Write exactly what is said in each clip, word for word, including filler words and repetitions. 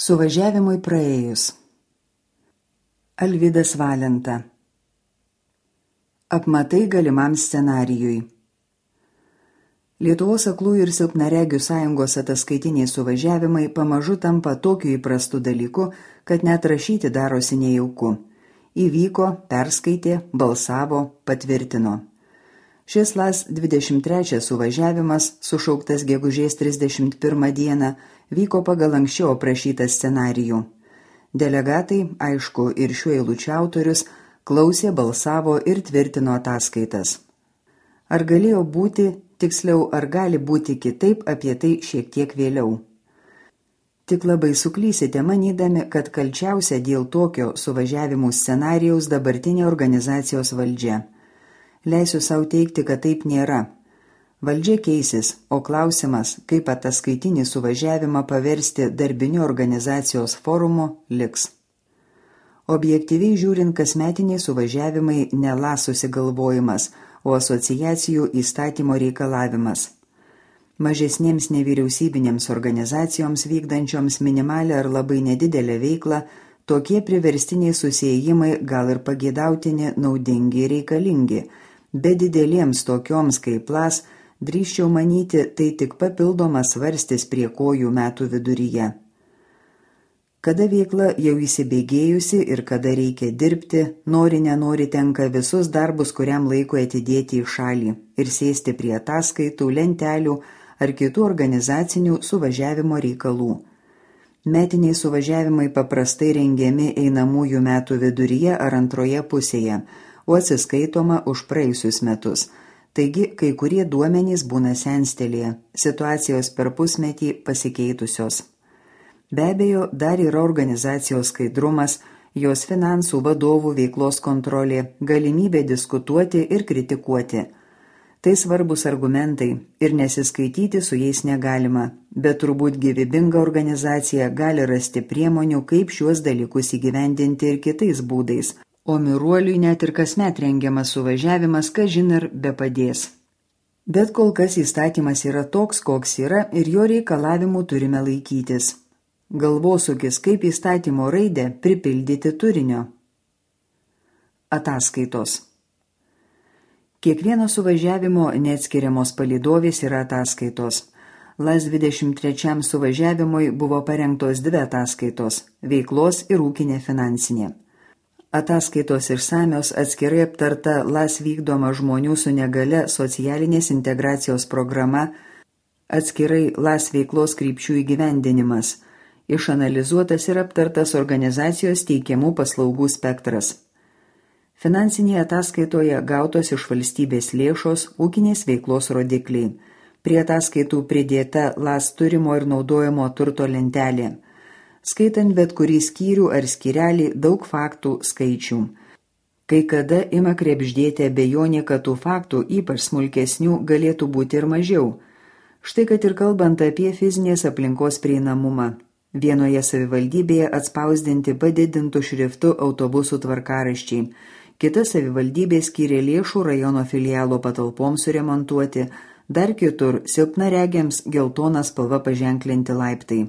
Suvažiavimui praėjus. Alvydas Valenta. Apmatai galimam scenarijui. Lietuvos aklųjų ir silpnaregių sąjungos ataskaitiniai suvažiavimai pamažu tampa tokiu įprastu dalyku, kad net rašyti darosi nejauku. Įvyko, perskaitė, balsavo, patvirtino. Šis L A S dvidešimt trečias suvažiavimas, sušauktas gegužės trisdešimt pirmą dieną, vyko pagal anksčiau aprašytą scenarijų. Delegatai, aišku, ir šiuo eilučių autorius, klausė, balsavo ir tvirtino ataskaitas. Ar galėjo būti, tiksliau, ar gali būti kitaip, apie tai šiek tiek vėliau. Tik labai suklysite manydami, kad kalčiausia dėl tokio suvažiavimų scenarijaus dabartinė organizacijos valdžia. Leisiu savo teigti, kad taip nėra. Valdžia keisis, o klausimas, kaip ataskaitinį suvažiavimą paversti darbiniu organizacijos forumu, liks. Objektyviai žiūrint, kasmetiniai suvažiavimai ne L A S susigalvojimas, o asociacijų įstatymo reikalavimas. Mažesnėms nevyriausybinėms organizacijoms vykdančioms minimalę ar labai nedidelę veiklą, tokie priverstiniai susiėjimai gal ir pageidautini, naudingi ir reikalingi, bet dideliems tokioms kaip L A S, drįsčiau manyti, tai tik papildomas svarstis prie kojų metų viduryje. Kada veikla jau įsibėgėjusi ir kada reikia dirbti, nori nenori tenka visus darbus kuriam laikui atidėti į šalį ir sėsti prie ataskaitų, lentelių ar kitų organizacinių suvažiavimo reikalų. Metiniai suvažiavimai paprastai rengiami einamųjų metų viduryje ar antroje pusėje, o atsiskaitoma už praėjusius metus. Taigi, kai kurie duomenys būna senstelėje, situacijos per pusmetį pasikeitusios. Be abejo, dar yra organizacijos skaidrumas, jos finansų vadovų veiklos kontrolė, galimybė diskutuoti ir kritikuoti. Tai svarbus argumentai ir nesiskaityti su jais negalima, bet turbūt gyvybinga organizacija gali rasti priemonių, kaip šiuos dalykus įgyvendinti ir kitais būdais. O miruoliui net ir kasmet rengiamas suvažiavimas, kažin ir bepadės. Bet kol kas įstatymas yra toks, koks yra ir jo reikalavimų turime laikytis. Galvosūkis, kaip įstatymo raidę pripildyti turinio. Ataskaitos. Kiekvieno suvažiavimo neatskiriamos palydovės yra ataskaitos. L A S dvidešimt trečiam suvažiavimui buvo parengtos dvi ataskaitos – veiklos ir ūkinė finansinė. Ataskaitos išsamios atskirai aptarta L A S vykdoma žmonių su negale socialinės integracijos programa, atskirai L A S veiklos krypčių įgyvendinimas, išanalizuotas ir aptartas organizacijos teikiamų paslaugų spektras. Finansinėje ataskaitoje gautos iš valstybės lėšos ūkinės veiklos rodikliai. Prie ataskaitų pridėta L A S turimo ir naudojamo turto lentelė. Skaitant bet kurį skyrių ar skyrelį daug faktų skaičių. Kai kada ima krebždėti abejonė, kad tų faktų, ypač smulkesnių, galėtų būti ir mažiau. Štai kad ir kalbant apie fizinės aplinkos prieinamumą. Vienoje savivaldybėje atspausdinti padidintų šriftų autobusų tvarkaraščiai. Kita savivaldybė skyrė lėšų rajono filialo patalpoms suremontuoti, dar kitur silpnaregiams geltona spalva paženklinti laiptai.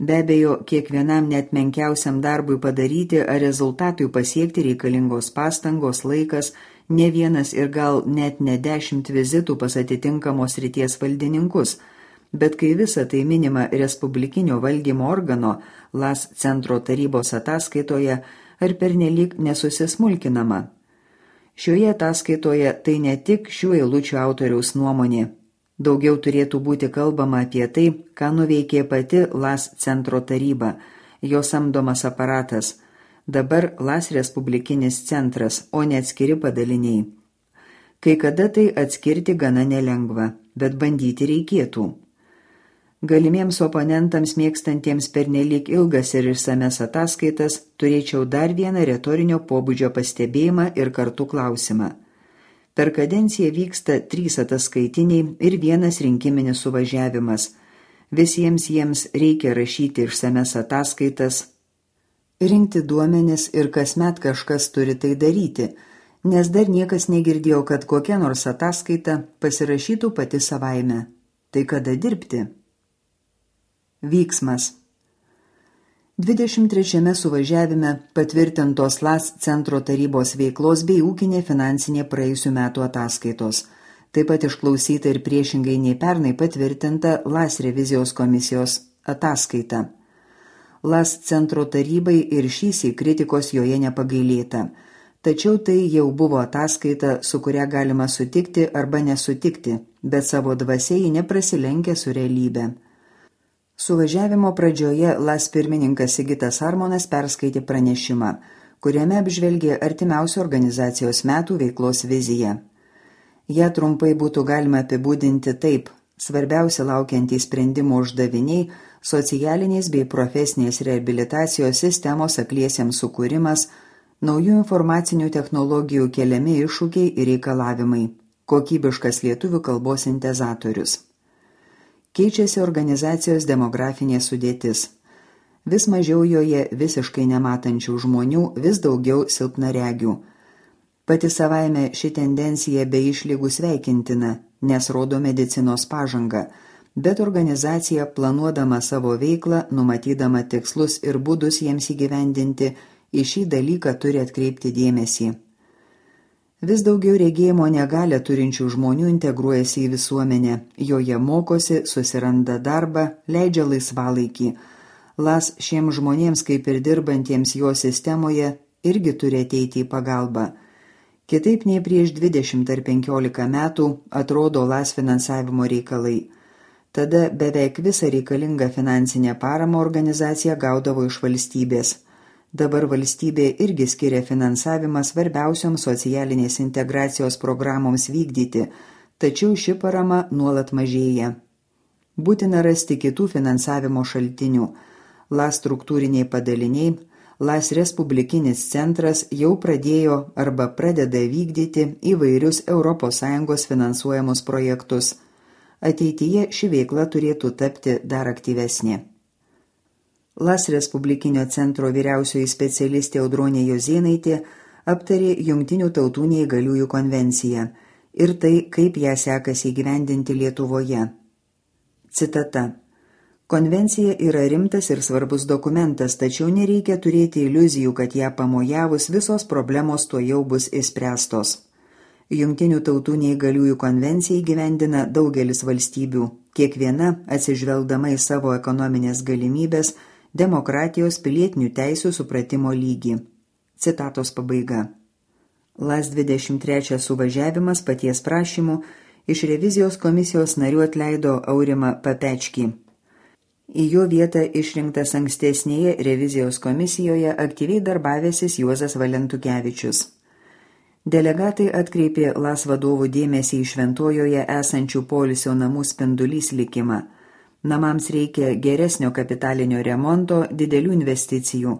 Be abejo, kiekvienam net menkiausiam darbui padaryti ar rezultatui pasiekti reikalingos pastangos, laikas, ne vienas ir gal net ne dešimt vizitų pas atitinkamos srities valdininkus, bet kai visa tai minima respublikinio valdymo organo L A S centro tarybos ataskaitoje ar pernelyg nesusismulkinama. Šioje ataskaitoje tai ne tik šių eilučių autoriaus nuomonė. Daugiau turėtų būti kalbama apie tai, ką nuveikė pati L A S centro taryba, jo samdomas aparatas, dabar L A S respublikinis centras, o ne atskiri padaliniai. Kai kada tai atskirti gana nelengva, bet bandyti reikėtų. Galimiems oponentams mėgstantiems pernelyg ilgas ir išsames ataskaitas, turėčiau dar vieną retorinio pobūdžio pastebėjimą ir kartu klausimą. Per kadenciją vyksta trys ataskaitiniai ir vienas rinkiminis suvažiavimas. Visiems jiems reikia rašyti išsames ataskaitas, rinkti duomenis ir kasmet kažkas turi tai daryti, nes dar niekas negirdėjo, kad kokia nors ataskaita pasirašytų pati savaime. Tai kada dirbti? Vyksmas. dvidešimt trečiame suvažiavime patvirtintos L A S centro tarybos veiklos bei ūkinė finansinė praėjusių metų ataskaitos. Taip pat išklausyta ir priešingai nei pernai patvirtinta L A S revizijos komisijos ataskaita. L A S centro tarybai ir šįsyk kritikos joje nepagailėta. Tačiau tai jau buvo ataskaita, su kuria galima sutikti arba nesutikti, bet savo dvasia ji neprasilenkia su realybė. Suvažiavimo pradžioje L A S pirmininkas Sigitas Armonas perskaitė pranešimą, kuriame apžvelgė artimiausių organizacijos metų veiklos viziją. Ja trumpai būtų galima apibūdinti taip: svarbiausia laukiantys sprendimų uždaviniai – socialinės bei profesinės reabilitacijos sistemos akliesiems sukūrimas, naujų informacinių technologijų keliami iššūkiai ir reikalavimai, kokybiškas lietuvių kalbos sintezatorius. Keičiasi organizacijos demografinė sudėtis. Vis mažiau joje visiškai nematančių žmonių, vis daugiau silpnaregių. Pati savaime ši tendencija be išlygų sveikintina, nes rodo medicinos pažangą, bet organizacija, planuodama savo veiklą, numatydama tikslus ir būdus jiems įgyvendinti, į šį dalyką turi atkreipti dėmesį. Vis daugiau regėjimo negalią turinčių žmonių integruojasi į visuomenę, joje mokosi, susiranda darbą, leidžia laisvalaikį. L A S šiems žmonėms, kaip ir dirbantiems jo sistemoje, irgi turi ateiti į pagalbą. Kitaip nei prieš dvidešimt ar penkiolika metų atrodo L A S finansavimo reikalai. Tada beveik visą reikalingą finansinę paramą organizacija gaudavo iš valstybės. Dabar valstybė irgi skiria finansavimą svarbiausioms socialinės integracijos programoms vykdyti, tačiau ši parama nuolat mažėja. Būtina rasti kitų finansavimo šaltinių. L A S struktūriniai padaliniai, L A S Respublikinis centras jau pradėjo arba pradeda vykdyti įvairius Europos Sąjungos finansuojamus projektus. Ateityje ši veikla turėtų tapti dar aktyvesnė. L A S Respublikinio centro vyriausioji specialistė Audronė Jozėnaitė aptarė Jungtinių tautų neįgaliųjų konvenciją ir tai, kaip ją sekasi įgyvendinti Lietuvoje. Citata. Konvencija yra rimtas ir svarbus dokumentas, tačiau nereikia turėti iliuzijų, kad ją pamojavus visos problemos tuo jau bus išspręstos. Jungtinių tautų neįgaliųjų konvenciją įgyvendina daugelis valstybių, kiekviena atsižvelgdama į savo ekonominės galimybės, demokratijos, pilietinių teisių supratimo lygį. Citatos pabaiga. L A S dvidešimt trečias suvažiavimas paties prašymu iš revizijos komisijos narių atleido Aurimą Papečkį. Į jo vietą išrinktas ankstesnėje revizijos komisijoje aktyviai darbavęsis Juozas Valentukevičius. Delegatai atkreipė L A S vadovų dėmesį į Šventojoje esančių poilsio namų Spindulys likimą. Namams reikia geresnio kapitalinio remonto, didelių investicijų.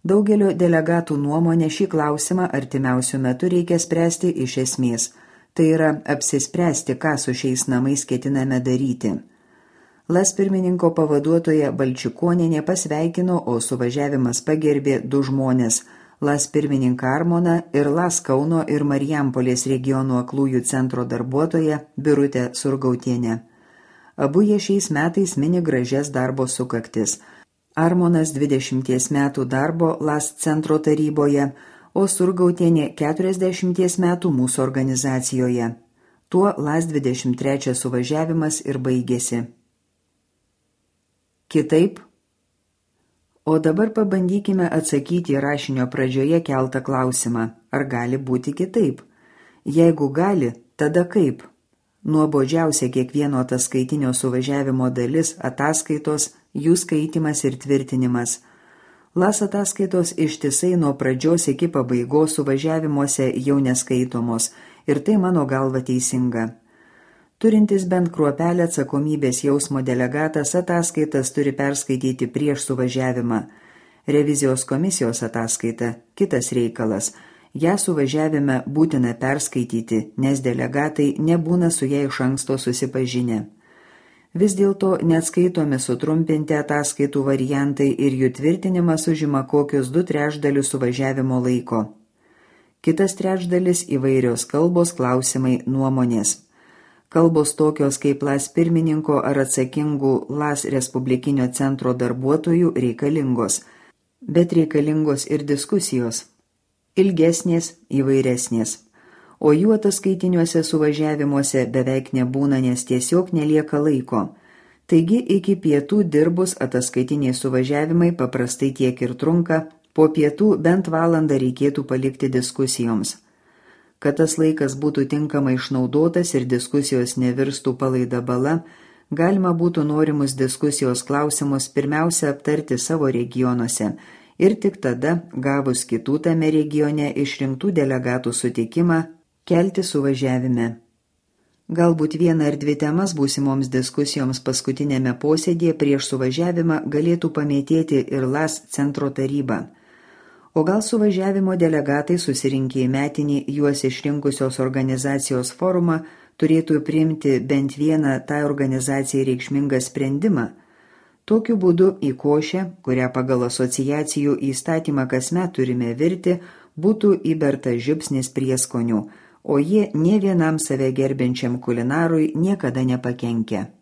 Daugelio delegatų nuomonė šį klausimą artimiausių metų reikia spręsti iš esmės. Tai yra apsispręsti, ką su šiais namais ketiname daryti. L A S pirmininko pavaduotoja Balčikonienė pasveikino, o suvažiavimas pagerbė du žmonės – L A S pirmininką Armoną ir L A S Kauno ir Marijampolės regionų aklųjų centro darbuotoja Birutė Surgautienė. Abu jie šiais metais mini gražias darbo sukaktis. Armonas dvidešimties metų darbo L A S centro taryboje, o Surgautienė keturiasdešimties metų mūsų organizacijoje. Tuo L A S dvidešimt trečias suvažiavimas ir baigėsi. Kitaip? O dabar pabandykime atsakyti rašinio pradžioje keltą klausimą, ar gali būti kitaip? Jeigu gali, tada kaip? Nuobodžiausia kiekvieno ataskaitinio suvažiavimo dalis – ataskaitos, jų skaitimas ir tvirtinimas. L A S ataskaitos ištisai nuo pradžios iki pabaigos suvažiavimuose jau neskaitomos ir tai mano galva teisinga. Turintis bent kruopelę atsakomybės jausmo delegatas ataskaitas turi perskaityti prieš suvažiavimą. Revizijos komisijos ataskaita – kitas reikalas. Ja suvažiavime būtina perskaityti, nes delegatai nebūna su ją iš anksto susipažinę. Vis dėlto neatskaitomi sutrumpinti ataskaitų variantai ir jų tvirtinimas užima kokius du trečdalius suvažiavimo laiko. Kitas trečdalis įvairios kalbos, klausimai, nuomonės. Kalbos tokios kaip LAS pirmininko ar atsakingų LAS Respublikinio centro darbuotojų reikalingos, bet reikalingos ir diskusijos. Ilgesnės, įvairesnės. O jų ataskaitiniuose suvažiavimuose beveik nebūna, nes tiesiog nelieka laiko. Taigi iki pietų dirbus ataskaitiniai suvažiavimai paprastai tiek ir trunka, po pietų bent valandą reikėtų palikti diskusijoms. Kad tas laikas būtų tinkamai išnaudotas ir diskusijos nevirstų palaida bala, galima būtų norimus diskusijos klausimus pirmiausia aptarti savo regionuose ir tik tada, gavus kitų tame regione išrinktų delegatų sutikimą, kelti suvažiavime. Galbūt vieną ar dvi temas būsimoms diskusijoms paskutinėme posėdėje prieš suvažiavimą galėtų pamėtėti ir LAS centro taryba. O gal suvažiavimo delegatai susirinkę į metinį juos išrinkusios organizacijos forumą turėtų priimti bent vieną tai organizacijai reikšmingą sprendimą. Tokiu būdu į košę, kurią pagal asociacijų įstatymą kasmet turime virti, būtų įberta žiupsnis prieskonių, o jie nė vienam save gerbiančiam kulinarui niekada nepakenkia.